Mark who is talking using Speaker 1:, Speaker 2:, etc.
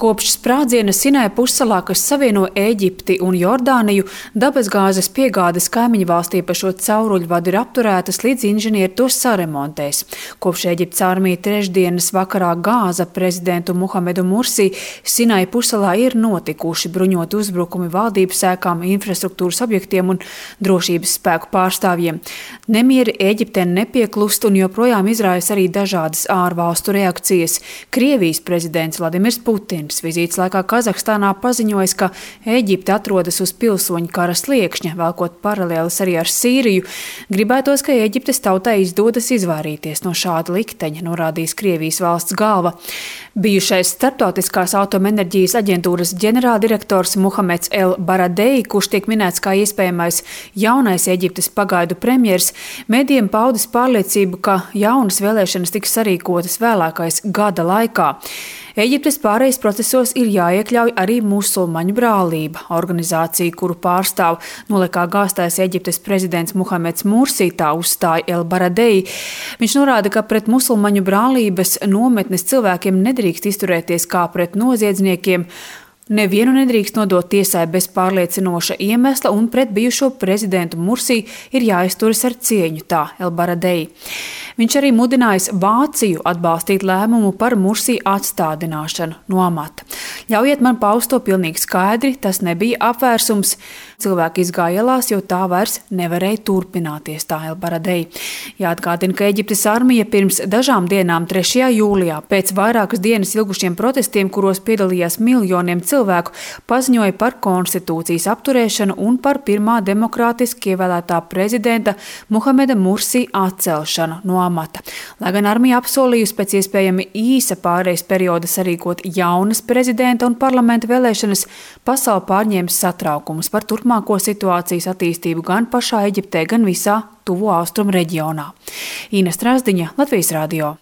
Speaker 1: Kopš sprādziena Sinai pussalā, kas savieno Ēģipti un Jordāniju, dabasgāzes piegādes kaimiņu valstī pa šo cauruļvadu ir apturētas, līdz inženieri tos saremontēs. Kopš Ēģiptes armija trešdienas vakarā gāza prezidentu Muhamedu Mursi, Sinai pussalā ir notikuši bruņoti uzbrukumi valdības ēkām, infrastruktūras objektiem un drošības spēku pārstāvjiem. Nemieri Ēģiptē nepieklust un joprojām izraisa arī dažādas ārvalstu reakcijas. Krievijas prezidents Vladimirs Putins vizītes laikā Kazahstānā paziņojis, ka Ēģipte atrodas uz pilsoņu kara sliekšņa, velkot paralēlis arī ar Sīriju. Gribētos, ka Ēģiptes tautai izdodas izvairīties no šāda likteņa, norādījis Krievijas valsts galva. Bijušais Starptautiskās atomenerģijas aģentūras ģenerāldirektors Muhameds El Baradei, kurš tiek minēts kā iespējamais jaunais Ēģiptes pagaidu premjers, medijiem paudis pārliecību, ka jaunas vēlēšanas tiks sarīkotas vēlākais gada laikā. Ēģiptes pārejas procesos ir jāiekļauj arī musulmaņu brālība. Organizācija, kuru pārstāv nolekā gāztais Ēģiptes prezidents Muhameds Mursi, tā uzstāja El Baradei. Viņš norāda, ka pret musulmaņu brālības nometnes cilvēkiem nedrīkst izturēties kā pret noziedzniekiem. Nevienu nedrīkst nodot tiesai bez pārliecinoša iemesla, un pret bijušo prezidentu Mursi ir jāizturas ar cieņu, tā El Baradei. Viņš arī mudinājis Vāciju atbalstīt lēmumu par Mursi atstādināšanu no amata. Ļaujiet man paust to pilnīgi skaidri, tas nebija apvērsums. Cilvēki izgāja ielās, jo tā vairs nevarēja turpināties, tā El Baradei. Jāatgādina, ka Ēģiptes armija pirms dažām dienām 3. jūlijā pēc vairākas dienas ilgušiem protestiem, kuros piedalījās miljoniem cilvēku, paziņoja par konstitūcijas apturēšanu un par pirmā demokrātiski ievēlētā prezidenta Muhameda Mursi atcelšanu no amata. Lai gan armija apsolījusi pēc iespējami īsa pārejas perioda sarīkot jaunas prezidenta un parlamenta vēlēšanas, pasauli pārņēma satraukums par turpmāko situācijas attīstību gan pašā Ēģiptē, gan visā Tuvo Austrumu reģionā. Ina Strasdiņa, Latvijas radio.